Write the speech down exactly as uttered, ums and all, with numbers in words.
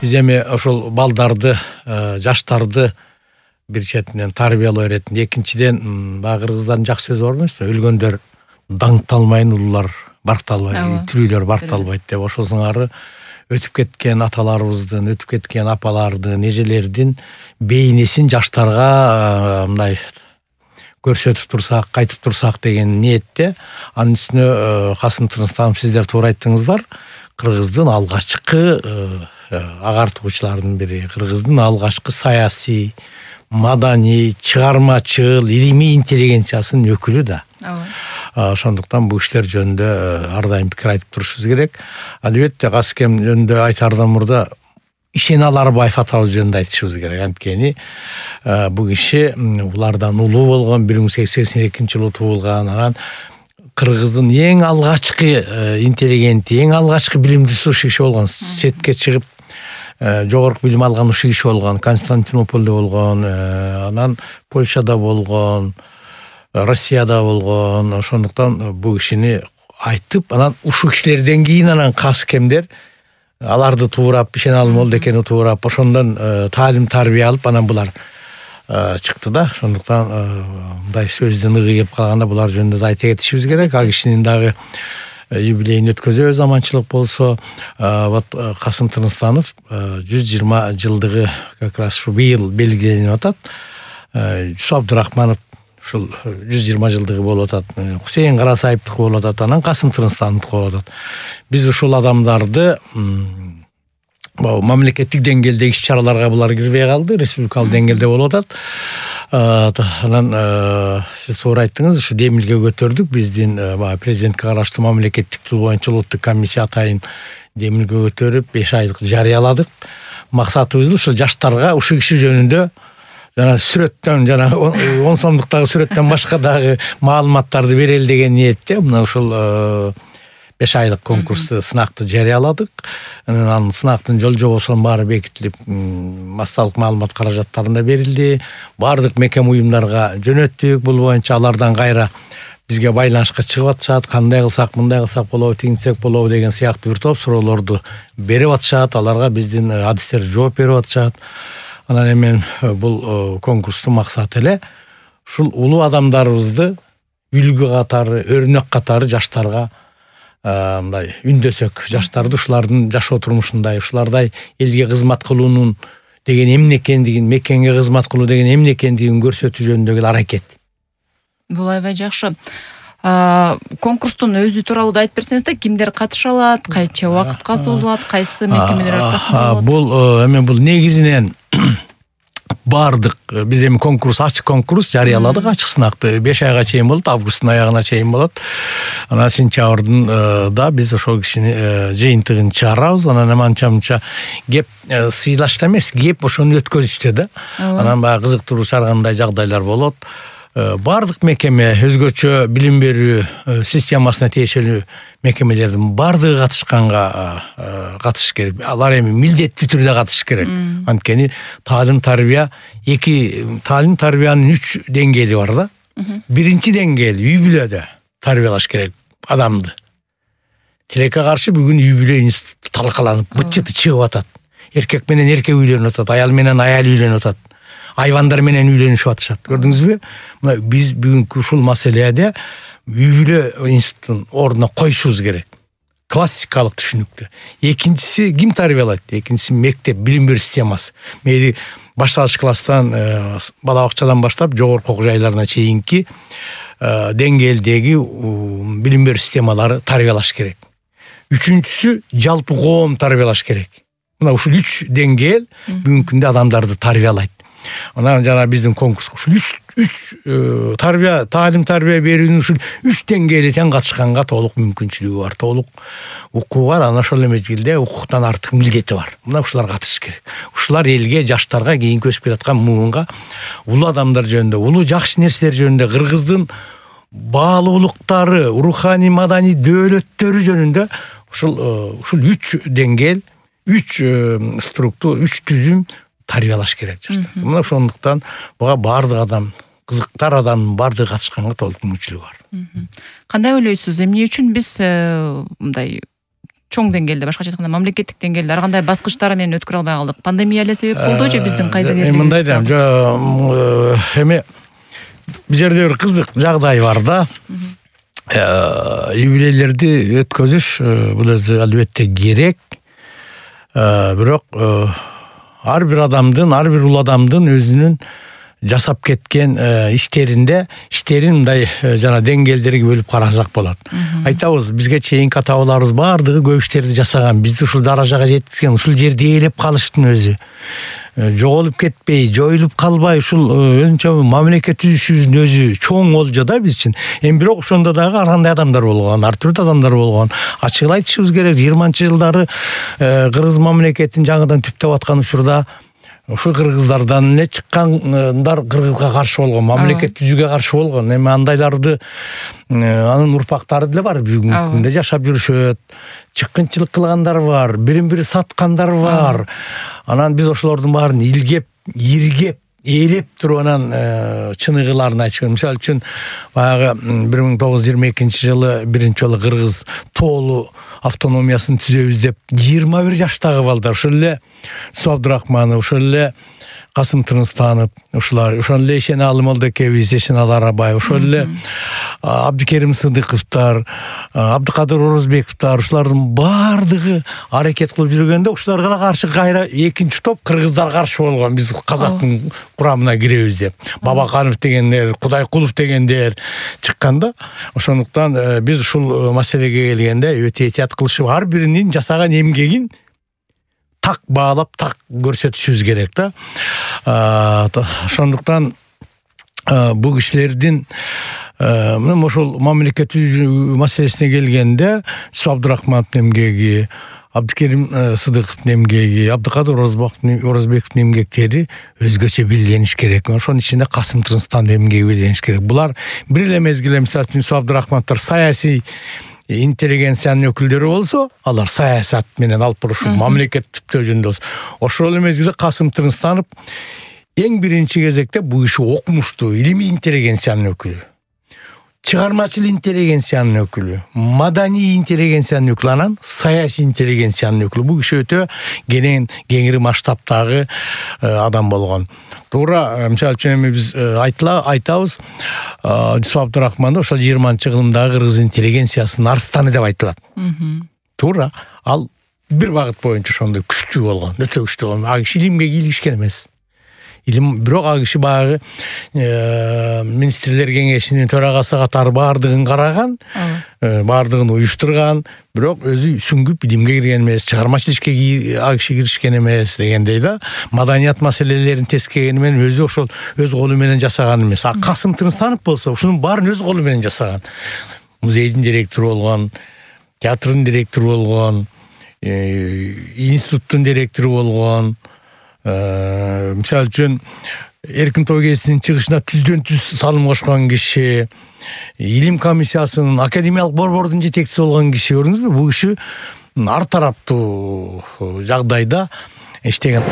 биз эми ошол балдарды, жаштарды бир четинен тарбиялоо иретинде, экинчиден баягы кыргыздардын жакшы сөзү бар эмеспи? Өлгөндөр даңкталмайын, улуулар баркталбайт, тирүүлөр баркталбайт деп. Ошол сыңары өтүп кеткен аталарыбыздын, өтүп кеткен апалардын, эжелердин бейнесин жаштарга мындай көрсөтүп турсак, кайтып турсак деген ниетте. Анын үстүнө Касым Тырныстанов, сиздер туура айттыңыздар, кыргыздын алгачкы агартуучулардын бири, кыргыздын алгачкы саясий, маданий, чыгармачыл, илимий интеллигенциясынын өкүлү да. Ошондуктан бул иштер жөнүндө ар дайым пикир айтып турушубуз керек. Албетте Касыкем жөнүндө айтаардан мурда Ишен Аларбаев атабыз жөнүндө айтышыбыз керек. Анткени бул киши улардан улуу болгон, бир миң сегиз жүз сексен экинчи жылы туулган, анан кыргыздын эң алгачкы интеллигенти, эң алгачкы билимдүүсү ушул киши болгон. Четке чыгып жогорку билим алган ушул киши болгон, Константинополдо болгон, анан Польшада болгон, Россияда болгон. Ошондуктан бул кишини айтып, анан ушул кишилерден кийин анан Касыкемдер аларды туурап, Ишен Алымолду экени туурап, ошондон таалим тарбия алып, анан булар чыкты да. Ошондуктан мындай сөздөн ыгыйып калганда булар жөнүндө да айта кетишибиз керек. А кишинин дагы юбилейин өткөзөбүз, аманчылык болсо. Вот Касым Тырныстанов жүз жыйырма жылдыгы как раз ушу быйыл белгиленип атат. Жусуп Абдурахманов ушул жүз жыйырма жылдыгы болуп атат. Хусейин Карасаевдики болуп атат, анан Касым Тырныстановдуки болуп атат. Биз ушул адамдарды мамлекеттик деңгээлдеги иш-чараларга булар кирбей калды, республикалык деңгээлде болуп атат. Анан сиз туура айттыңыз, ушу демилге көтөрдүк. Биздин баягы президентке караштуу мамлекеттик тил боюнча улуттук комиссия атайын демилге көтөрүп беш айлык жарыяладык. Максатыбыз ушул жаштарга ушул киши жөнүндө жана сүрөттөн, жана он сомдуктагы сүрөттөн башка дагы маалыматтарды берели деген ниетте мына ушул беш айлык конкурсту, сынакты жарыяладык. Анан сынактын жол жобосунун баары бекитилип, массалык маалымат каражаттарында берилди. Бардык мекем уюмдарга жөнөттүк. Бул боюнча алардан кайра бизге байланышка чыгып атышат. Кандай кылсак, мындай кылсак болобу, тигинтсек болобу деген сыяктуу бир топ суроолорду берип атышат. Аларга биздин адистер жооп берип атышат. Анан эми бул конкурстун максаты эле ушул улуу адамдарыбызды үлгү катары, өрнөк катары жаштарга мындай үндөсөк, жаштарды ушулардын жашоо турмушундай, ушулардай элге кызмат кылуунун деген эмне экендигин, мекенге кызмат кылуу деген эмне экендигин көрсөтүү жөнүндөгү аракет. Бул аябай жакшы. Конкурстун өзү тууралуу да айтып берсеңиз да, кимдер катыша алат, кайча убакытка созулат, кайсы мекемелер аркасында болот? Бул эми бул негизинен бардык, биз эми конкурс, ачык конкурс жарыяладык, ачык сынакты беш айга чейин болот, августтун аягына чейин болот. Анан сентябрдын да биз ошол кишини жыйынтыгын чыгарабыз. Анан аманча-мынча кеп сыйлашта эмес, кеп ошону өткөзүштө да. Анан баягы кызыктыруу чаргандай жагдайлар болот. Бардык мекеме, өзгөчө билим берүү системасына тиешелүү мекемелердин бардыгы катышканга катышыш керек. Алар эми милдеттүү түрдө катышыш керек. Анткени таалим тарбия эки таалим тарбиянын үч деңгээли бар да. Биринчи деңгээл үй бүлөдө тарбиялаш керек адамды. Тилекке каршы бүгүн үй бүлө институту талкаланып, быт-чыты чыгып атат. Эркек менен эркек үйлөнүп атат, аял менен аял үйлөнүп атат. Айвандар менен үйлөнүшүп атышат. Көрдүңүзбү? Мына биз бүгүнкү ушул маселеде үй бүлө институтун ордуна коюшубуз керек. Классикалык түшүнүктө. Экинчиси ким тарбиялайт? Экинчиси мектеп, билим берүү системасы. Мейли башталгыч класстан, бала бакчадан баштап жогорку окуу жайларына чейинки деңгээлдеги билим берүү системалары тарбиялаш керек. Үчүнчүсү жалпы коом тарбиялаш керек. Мына ушул үч деңгээл бүгүнкү күндө адамдарды тарбиялайт. Анан жана биздин конкурс ушул үч үч тарбия, таалим тарбия берүүнүн ушул үч деңгээли тең катышканга толук мүмкүнчүлүгү бар, толук укугу бар, анан ошол мезгилде укуктан артык милдети бар. Мына ушулар катышыш керек. Ушулар элге, жаштарга, кийинки өсүп келаткан муунга улуу адамдар жөнүндө, улуу жакшы нерселер жөнүндө, кыргыздын баалуулуктары, руханий маданий дөөлөттөрү жөнүндө ушул ушул үч деңгээл, үч структура, үч түзүм тарбиялаш керек жаштар. Мына ошондуктан буга бардык адам, кызыктар адамдын бардыгы катышканга толук мүмкүнчүлүгү бар. Кандай ойлойсуз? Эмне үчүн биз мындай чоң деңгээлде, башкача айтканда мамлекеттик деңгээлде ар кандай баскычтары менен өткөрө албай калдык? Пандемия эле себеп болду же биздин кайда берлигибиз? Мындай да эми бул жерде бир кызык жагдай бар да. Юбилейлерди өткөзүш бул өзү албетте керек. Бирок ар бир адамдын, ар бир ул адамдын өзүнүн жасап кеткен иштеринде иштерин мындай жана деңгээлдерге бөлүп карасак болот. Айтабыз, бизге чейинки ата-бабаларыбыз баардыгы көп иштерди жасаган, бизди ушул даражага жеткизген, ушул жерде ээлеп калыштын өзү. Жоголуп кетпей, жоюлуп калбай, ушул өзүнчө мамлекет түзүшүбүздүн өзү чоң олжо да биз үчүн. Эми бирок ошондо дагы ар кандай адамдар болгон, ар түрдүү адамдар болгон. Ачыгын айтышыбыз керек, жыйырманчы жылдары кыргыз мамлекетин жаңыдан түптөп аткан учурда ушул кыргыздардан эле чыккандар кыргызга каршы болгон, мамлекет түзүүгө каршы болгон. Эми андайларды анын урпактары деле бар, бүгүнкү күндө жашап жүрүшөт. Чыккынчылык кылгандар бар, бирин бири саткандар бар. Анан биз ошолордун баарын илгеп, иргеп, ээлеп туруп анан чыныгыларын айтышкан. Мисалы үчүн баягы бир миң тогуз жүз жыйырма экинчи жылы биринчи жолу кыргыз тоолу автономиясын түзөбүз деп жыйырма бир жаштагы балдар, ошол эле Су Абдурахманов, ошол эле Касым Тырныстанов, ушулар, ошол эле Эшеналы Молдокебиз, Эшеналы Арабаев, ошол эле Абдыкерим Сыдыковтар, Абдыкадыр Орозбековтар, ушулардын баардыгы аракет кылып жүргөндө ушуларга каршы кайра экинчи топ кыргыздар каршы болгон. Биз казактын курамына киребиз деп. Бабаканов дегендер, Кудайкулов дегендер чыкканда, ошондуктан биз ушул маселеге келгенде өтө этият кылышып, ар биринин жасаган эмгегин так баалап, так көрсөтүшүбүз керек да. Ошондуктан бул кишилердин мына ошол мамлекет маселесине келгенде Су Абдурахмановдун эмгеги, Абдыкерим Сыдыковдун эмгеги, Абдыкадыр Орозбековдун эмгектери өзгөчө билиниш керек. Ошонун ичинде Касым Тырныстановдун эмгеги билиниш керек. Булар бир эле мезгилде, мисалы үчүн Су Абдурахмановдор саясий интеллигенциянын өкүлдөрү болсо, алар саясат менен алып барышуу, мамлекет түптөө жөнүндө болсо. Ошол эле мезгилде Касым Тырныстанов эң биринчи кезекте бул киши окумуштуу, илимий интеллигенциянын өкүлү, чыгармачыл интеллигенциянын өкүлү, маданий интеллигенциянын өкүлү, анан саясий интеллигенциянын өкүлү. Бул киши өтө кенен кеңири масштабтагы адам болгон. Туура, мисалы үчүн эми биз айтла айтабыз, Су Абдурахманов ошол жыйырманчы кылымдагы кыргыз интеллигенциясынын арстаны деп айтылат. Туура, ал бир багыт боюнча ошондой күчтүү болгон, өтө күчтүү болгон. Ал киши илимге кийлигишкен эмес. Илим, бирок ал киши баягы министрлер кеңешинин төрагасы катары баардыгын караган, баардыгын уюштурган, бирок өзү сүңгүп илимге кирген эмес, чыгармачыл ишке ал киши киришкен эмес дегендей да. Маданият маселелерин тескегени менен өзү ошол өз колу менен жасаган эмес. А Касым Тырныстанов болсо ушунун баарын өз колу менен жасаган. Музейдин директору болгон, театрдын директору болгон, институттун директору болгон. Мисалы үчүн Эркин той кезинин чыгышына түздөн түз салым кошкон киши, илим комиссиясынын академиялык борбордун жетекчиси болгон киши. Көрдүңүзбү? Бул киши ар тараптуу жагдайда иштеген.